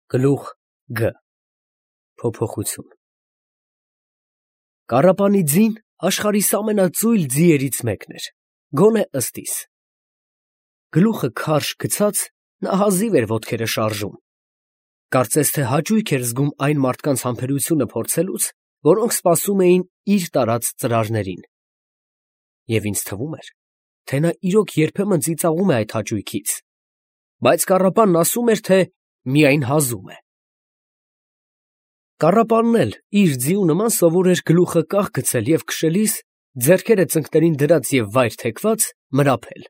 Գլուխ Գ Փոփոխություն Կարապանի ձին աշխարհիս ամենածույլ ձիերից մեկն էր, գոնե ըստիս։ Գլուխը քարշ գցած, նա հազիվ էր ոտքերը շարժում։ Կարծես թե հաճույք էր զգում այն մարդկանց համբերությունը փորձելուց, որոնք սպասում էին իր տարած ծրարներին։ Եվ ինձ թվում էր, թե նա իրոք երբեմն ծիծաղում է այդ հաճույքից, բայց կառապանն ասում էր, թե միայն հազում է։ Կառապանն էլ իր ձիու նման սովոր էր գլուխը կախ գցել և քշելիս, ձեռքերը ծնկներին դրած և վայր թեքված, մրափել։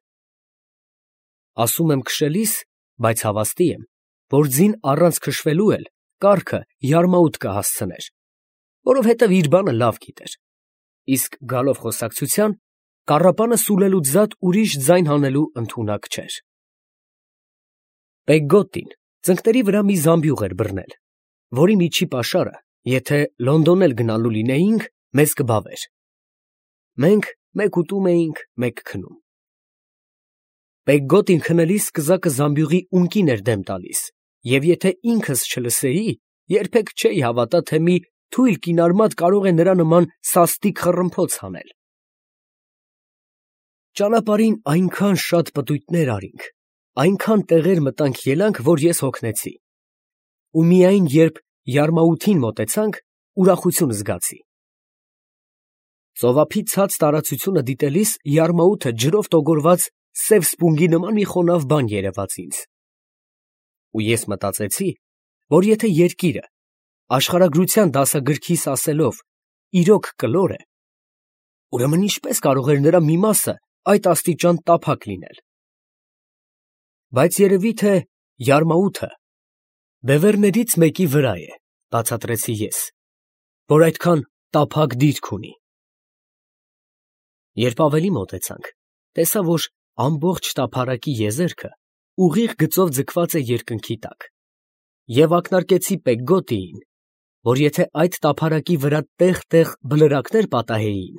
Ասում եմ քշելիս, բայց հավաստի եմ, որ ձին առանց քշվելու էլ կառքը յարմաուտ կհասցներ, որովհետև իր բանը լավ գիտեր, իսկ գալով խոսակցության, կառապանը սուլելուց զատ ուրիշ ձայն հանելու ընդունակ չէր։ Պեգգոտին ծնկների վրա մի զամբյուղ էր բռնել, որի միջի պաշարը, եթե Լոնդոն էլ գնալու լինեինք, մեզ կբավեր։ Մենք մեկ ուտում էինք, մեկ քնում։ Պեգգոտին քնելիս կզակը զամբյուղի ունկին էր դեմ տալիս, և եթե ինքս չլսեի, երբեք չէի հավատա, թե մի թույլ կինարմատ կարող է նրա նման սաստիկ խռմփոց հանել։ Ճանապարհին այնքան շատ պտույտներ արինք, այնքան տեղեր մտանք֊ելանք, որ ես հոգնեցի, ու միայն երբ յարմաութին մոտեցանք, ուրախություն զգացի։ Ծովափի ցած տարածությունը դիտելիս յարմաութը ջրով տոգորված սև սպունգի նման մի խոնավ բան երևաց ինձ։ Ու ես մտածեցի, որ եթե երկիրը, աշխարհագրության դասագրքիս ասելով, իրոք կլոր է, ուրեմն ինչպես կարող էր նրա մի մասը այդ աստիճան տափակ լինել։ Բայց երևի թե յարմաութը բևեռներից մեկի վրա է, բացատրեցի ես, որ այդքան տափակ դիրք ունի։ Երբ ավելի մոտեցանք, տեսա, որ ամբողջ տափարակի եզերքը ուղիղ գծով ձգված է երկնքի տակ, և ակնարկեցի Պեգգոտիին, որ եթե այդ տափարակի վրա տեղ֊տեղ բլրակներ պատահեին,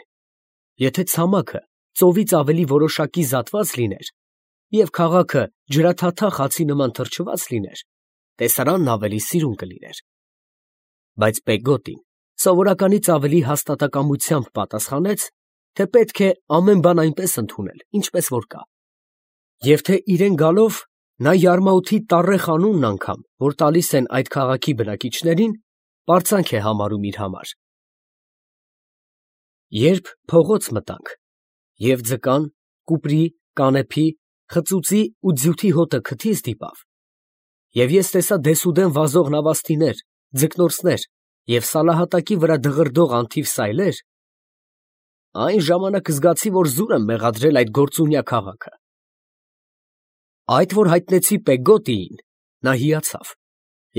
եթե ցամաքը ծովից ավելի որոշակի զատված լիներ, և քաղաքը ջրաթաթախ հացի նման թրջված լիներ, տեսարանն ավելի սիրուն կլիներ։ Բայց Պեգգոտին սովորականից ավելի հաստատակամությամբ պատասխանեց, թե պետք է ամեն բան այնպես ընդունել, ինչպես որ կա, և թե իրեն գալով նա յարմաութի տառեղ անունն անգամ, որ տալիս են այդ քաղաքի բնակիչներին, պարծանք է համարում իր համար։ Երբ փողոց մտանք, և ձկան, կուպրի, կանեփի, խծուծի ու ձյութի հոտը քթի ստիպավ, և ես տեսա դեսուդեն վազող նավաստիներ, ձկնորսներ և սալահատակի վրա դղրդող անթիվ սայլեր, այն ժամանակ զգացի, որ զուր եմ մեղադրել այդ գործունյա քաղաքը։ Այդ որ հայտնեցի Պեգգոտիին, նա հիացավ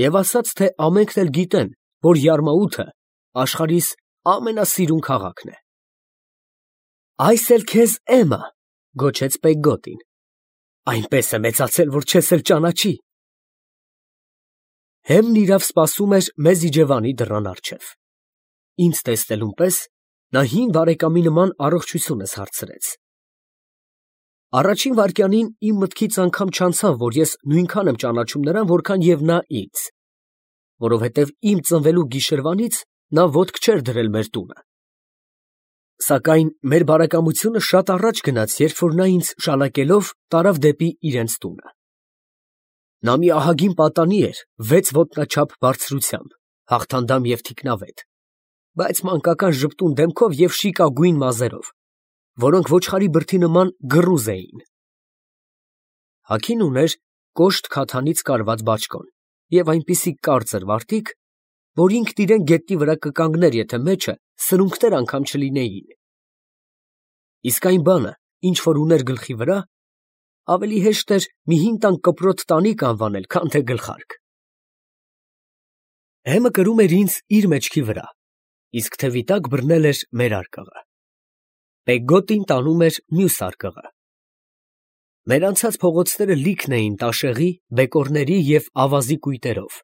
և ասաց, թե ամենքն էլ գիտեն, որ յարմաութը աշխարհիս ամենասիրուն քաղաքն է։ «Այս էլ քեզ էմա», գոչեց Պեգգոտին, «այնպես է մեծացել, որ չես էլ ճանաչի»։ Հեմն իրավ սպասում էր մեզ իջևանի դռան առջև։ Ինձ տեսնելուն պես նա հին բարեկամի նման առողջությունս հարցրեց։ Առաջին վայրկյանին իմ մտքից անգամ չանցավ, որ ես նույնքան եմ ճանաչում նրան, որքան և նա ինձ, որովհետև իմ ծնվելու գիշերվանից նա ոտք չէր դրել մեր տունը։ Սակայն մեր բարեկամությունը շատ առաջ գնաց, երբ որ նա ինձ շալակելով տարավ դեպի իրենց տունը։ Նա մի ահագին պատանի էր 6 ոտնաչափ բարձրությամբ, հաղթանդամ և թիկնավետ, բայց մանկական ժպտուն դեմքով և շիկագույն մազերով, որոնք ոչխարի բրդի նման գռուզ էին։ Հագին ուներ կոշտ քաթանից կարված բաճկոն և այնպիսի կարծր վարտիք, որ ինքն իրեն գետնի վրա կկանգներ, եթե մեջը սրունքներ անգամ չլինեին։ Իսկ այն բանը, ինչ որ ուներ գլխի վրա, ավելի հեշտ էր մի հին տան կպրոտ տանիք անվանել, քան թե գլխարկ։ Հեմը կրում էր ինձ իր մեջքի վրա, իսկ թևի տակ բռնել էր մեր արկղը։ Պեգգոտին տանում էր մյուս արկղը։ Մեր անցած փողոցները լիքն էին տաշեղի, բեկորների և ավազի կույտերով։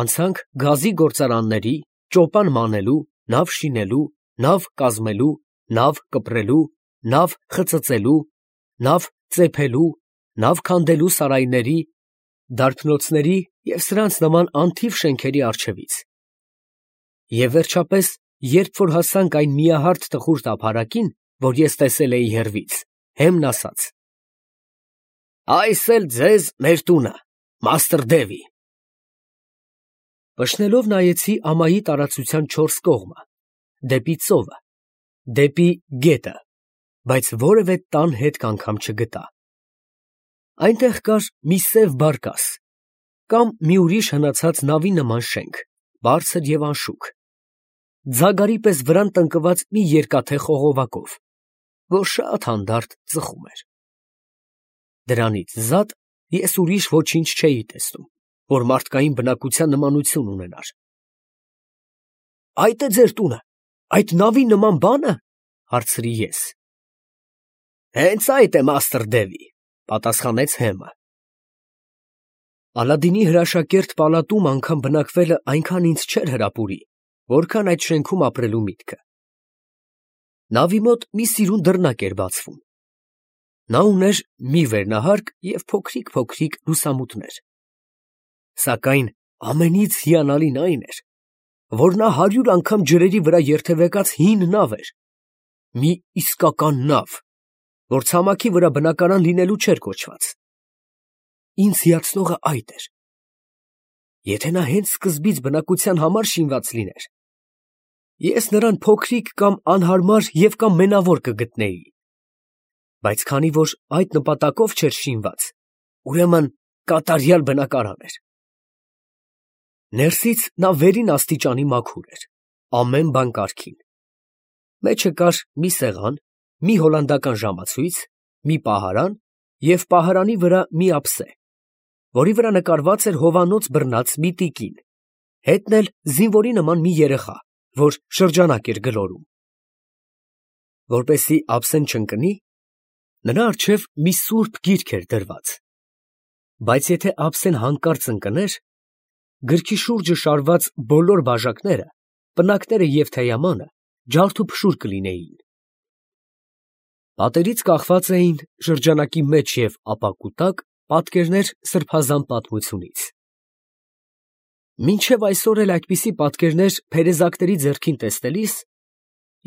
Անցանք գազի գործարանների, ճոպան մանելու, նավ շինելու, նավ կազմելու, նավ կպրելու, նավ խծծելու, նավ ծեփելու, նավ քանդելու սարայների, դարբնոցների և սրանց նման անթիվ շենքերի առջևից։ Եվ վերջապես, երբ որ հասանք այն միահարթ տխուր տափարակին, որ ես տեսել էի հեռվից, Հեմն ասաց. «Այս էլ ձեզ մեր տունը, մաստր Դևի»։ Փշնելով նայեցի ամայի տարածության 4 կողմը, դեպի ծովը, դեպի գետը, բայց որևէ տան հետք անգամ չգտա։ Այնտեղ կար մի սև բարկաս, կամ մի ուրիշ հնացած նավի նման շենք, բարձր և անշուք, ձագարի պես վրան տնկված մի երկաթե խողովակով, որ շատ հանդարտ ծխում էր։ Դրանից զատ ես ուրիշ ոչինչ չէի տեսնում, որ մարդկային բնակության նմանություն ունենար։ «Այդ է ձեր տունը, այդ նավի նման բա՞նը» հարցրի ես։ «Հենց այդ է, մաստր Դևի», պատասխանեց Հեմը։ Ալադինի հրաշակերտ պալատում անգամ բնակվելը այնքան ինձ չէր հրապուրի, որքան այդ շենքում ապրելու միտքը։ Նավի մոտ մի սիրուն դռնակ էր բացվում։ Նա ուներ մի վերնահարկ և փոքրիկ լուսամուտներ։ Սակայն ամենից հիանալին այն էր, որ նա 100 անգամ ջրերի վրա երթևեկած հին նավ էր, մի իսկական նավ, որ ցամաքի վրա բնակարան լինելու չէր կոչված։ Ինձ հիացնողը այդ էր. եթե նա հենց սկզբից բնակության համար շինված լիներ, ես նրան փոքրիկ կամ անհարմար և կամ մենավոր կգտնեի, բայց քանի որ այդ նպատակով չէր շինված, ուրեմն կատարյալ բնակարան էր։ Ներսից նա վերին աստիճանի մաքուր էր, ամեն բան կարգին։ Մեջը կար մի սեղան, մի հոլանդական ժամացույց, մի պահարան և պահարանի վրա մի ափսե, որի վրա նկարված էր հովանոց բռնած մի տիկին, հետն էլ զինվորի նման մի երեխա, որ շրջանակ էր գլորում։ Որպեսզի ափսեն չընկնի, նրա առջև մի սուրբ գիրք էր դրված, բայց եթե ափսեն հանկարծ ընկներ, գրքի շուրջը շարված բոլոր բաժակները, պնակները և թեյամանը ջարդուփշուր կլինեին։ Պատերից կախված էին շրջանակի մեջ և ապակու տակ պատկերներ սրբազան պատմությունից։ Մինչև այսօր էլ այդպիսի պատկերներ փերեզակների ձեռքին տեսնելիս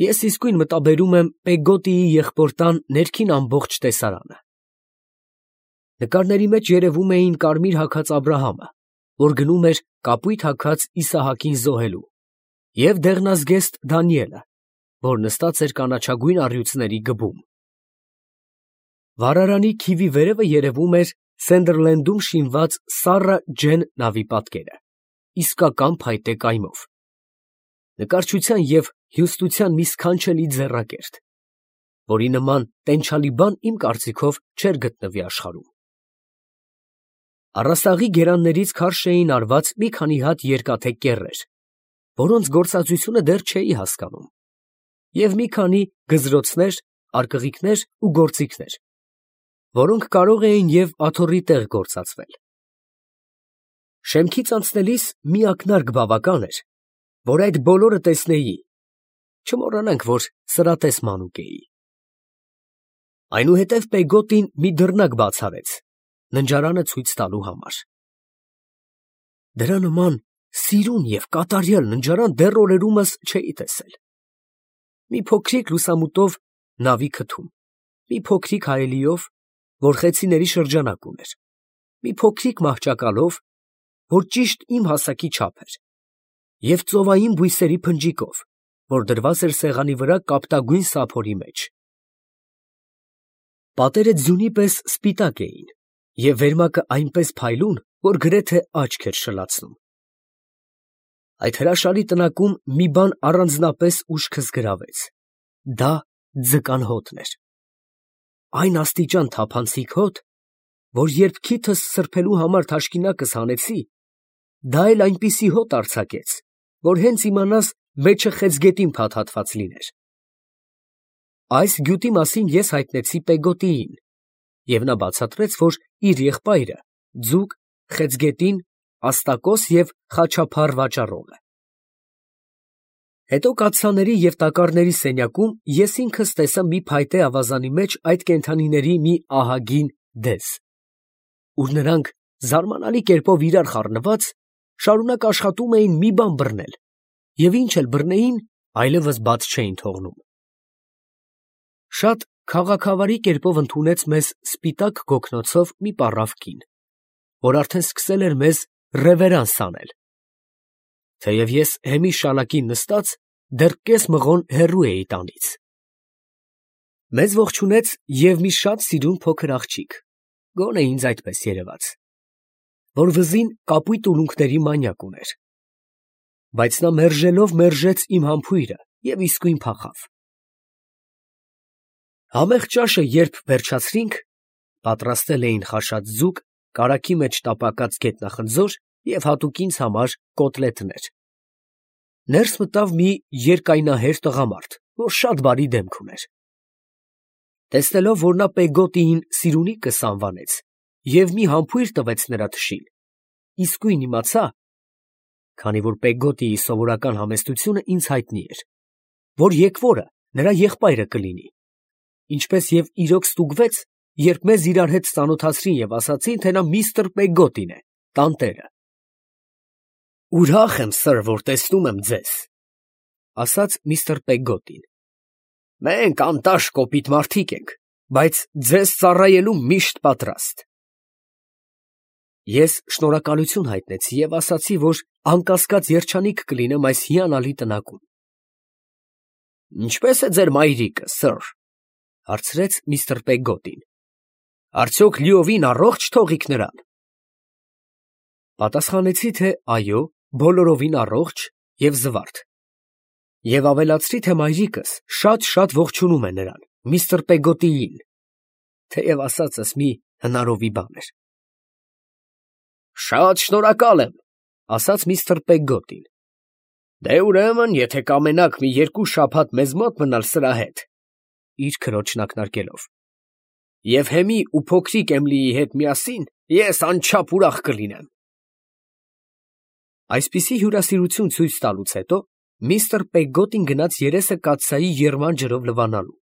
ես իսկույն մտաբերում եմ Պեգոտիի եղբոր տան ներքին ամբողջ տեսարանը։ Նկարների մեջ երևում էին կարմիր հագած Աբրահամը, որ գնում էր կապույտ հագած Իսահակին զոհելու, և դեղնազգեստ Դանիելը, որ նստած էր կանաչագույն առյուծների գվում։ Վառարանի քիվի վերևը երևում էր Սենդերլենդում շինված Սառա Ջեն նավի պատկերը, իսկական փայտե կայմով, նկարչության և հյուստության մի սքանչելի ձեռակերտ, որի նման տենչալի բան իմ կարծիքով չէր գտնվի աշխարհում։ Առաստաղի գերաններից քարշ էին արված մի քանի հատ երկաթե կեռեր, որոնց գործածությունը դեռ չէի հասկանում, և մի քանի գզրոցներ, արկղիկներ ու գործիքներ, որոնք կարող էին և աթոռի տեղ գործածվել։ Շեմքից անցնելիս մի ակնարկ բավական էր, որ այդ բոլորը տեսնեի, չմոռանանք, որ սրատես մանուկ էի։ Այնուհետև Պեգոտին մի դռնակ բաց արեց, ննջարանը ցույց տալու համար։ Դրա նման սիրուն և կատարյալ ննջարան դեռ օրերումս չէի տեսել։ Մի փոքրիկ լուսամուտով նավի քթում, մի փոքրիկ հայելիով, որ խեցիների շրջանակ ուներ, մի փոքրիկ մահճակալով, որ ճիշտ իմ հասակի չափ էր, և ծովային բույսերի փնջիկով, որ դրված էր սեղանի վրա կապտագույն սափորի մեջ։ Պատերը ձյունի պես սպիտակ էին, և վերմակը այնպես փայլուն, որ գրեթե աչք էր շլացնում։ Այդ հրաշալի տնակում մի բան առանձնապես ուշքս գրավեց. դա ձկան հոտն էր։ Այն աստիճան թափանցիկ հոտ, որ երբ քիթս սրբելու համար թաշկինակս հանեցի, դա էլ այնպիսի հոտ արձակեց, որ հենց իմանաս մեջը խեցգետին փաթաթված լիներ։ Այս գյուտի մասին ես հայտնեցի Պեգոտիին, և նա բացատրեց, որ իր եղբայրը ձուկ, խեցգետին, աստակոս և խաչափառ վաճառող է։ Հետո կաթսաների և տակառների սենյակում ես ինքս տեսա մի փայտե ավազանի մեջ այդ կենդանիների մի ահագին դես, ուր նրանք զարմանալի կերպով իրար խառնված, շարունակ աշխատում էին մի բան բռնել, և ինչ էլ բռնեին, այլևս բաց չէին թողնում։ Շատ քաղաքավարի կերպով ընդունեց մեզ սպիտակ գոգնոցով մի պառավ կին, որ արդեն սկսել էր մեզ ռևերանս անել, թեև ես հեմի շալակին նստած դեռ կես մղոն հեռու էի տանից։ Մեզ ողջունեց և մի շատ սիրուն փոքր աղջիկ, գոնե ինձ այդպես երևաց, որ վզին կապույտ ուլունքների մանյակ ուներ, բայց նա մերժելով մերժեց իմ համբույրը և իսկույն փախավ։ Համեղ ճաշը երբ վերջացրինք, պատրաստել էին խաշած ձուկ, կարագի մեջ տապակած գետնախնձոր և հատուկ ինձ համար կոտլետներ։ Ներս մտավ մի երկայնահեր տղամարդ, որ շատ բարի դեմք ուներ։ Տեսնելով, որ նա Պեգոտիին սիրունիկս անվանեց և մի համբույր տվեց նրա թշին, իսկույն իմացա, քանի որ Պեգոտիի սովորական համեստությունը ինձ հայտնի էր, որ եկվորը նրա եղբայրը կլինի, ինչպես և իրոք ստուգվեց, երբ մեզ իրար հետ ծանոթացրին և ասացին, թե նա միստր Պեգոտին է, տանտերը։ «Ուրախ եմ, սըր, որ տեսնում եմ ձեզ», ֊ ասաց միստր Պեգոտին։ «Մենք անտաշ կոպիտ մարդիկ ենք, բայց ձեզ ծառայելու միշտ պատրաստ»։ Ես շնորհակալություն հայտնեցի և ասացի, որ անկասկած երջանիկ կլինեմ այս հիանալի տնակում։ «Ինչպե՞ս է ձեր մայրիկը, սըր, ֊ հարցրեց միստր Պեգոտին. ֊ արդյոք լիովին առողջ թողիք նրան։ Պատասխանեցի, թե այո, բոլորովին առողջ և զվարթ, և ավելացրի, թե մայրիկս շատ ողջունում է նրան, միստր Պեգոտիին, թեև ասածս մի հնարովի բան էր։ «Շատ շնորհակալ եմ, ֊ ասաց միստր Պեգոտին։ ֊ Դե ուրեմն, եթե կամենաք մի 2 շաբաթ մեզ մոտ մնալ սրա հետ (իր քրոջն ակնարկելով) և Հեմի ու փոքրիկ Էմիլիի հետ միասին, ես անչափ ուրախ կլինեմ։ Այսպիսի հյուրասիրություն ցույց տալուց հետո միստր Պեգոտին գնաց երեսը կաթսայի եռման ջրով լվանալու,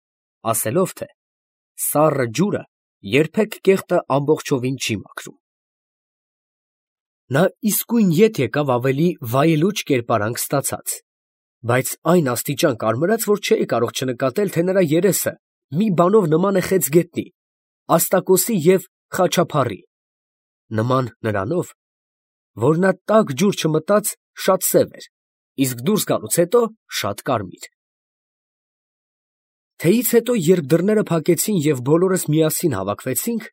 ասելով, թե սառը ջուրը երբեք կեղտը ամբողջովին չի մաքրում։ Նա իսկույն ետ եկավ ավելի վայելուչ կերպարանք ստացած, բայց այն աստիճան կարմրած, որ չէի կարող չնկատել, թե նրա երեսը մի բանով նման է խեցգետնի, աստակոսի և խաչափառի, նման նրանով, որ նա տաք ջուր չմտած շատ սև էր, իսկ դուրս գալուց հետո շատ կարմիր։ Թեյից հետո, երբ դռները փակեցին և բոլորս միասին հավաքվեցինք,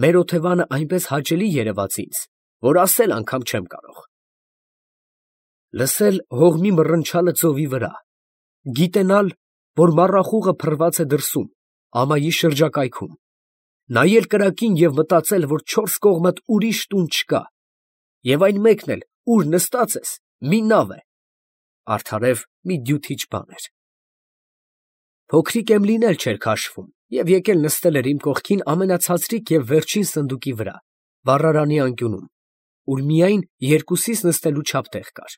մեր օթևանը այնպես հաճելի երևաց ինձ, որ ասել անգամ չեմ կարող։ Լսել հողմի մռնչալը ծովի վրա, գիտենալ, որ մառախուղը փռված է դրսում, ամայի շրջակայքում, նայել կրակին և մտածել, որ 4 կողմդ ուրիշ տուն չկա, և այն մեկն էլ, ուր նստած ես, մի նավ է, արդարև մի դյութիչ բան էր։ Փոքրիկ Էմիլին էլ չէր քաշվում և եկել նստել էր իմ կողքին ամենացածրիկ և վերջին սնդուկի վրա, վառարանի անկյունում, ուր միայն երկուսիս նստելու չափ տեղ կար։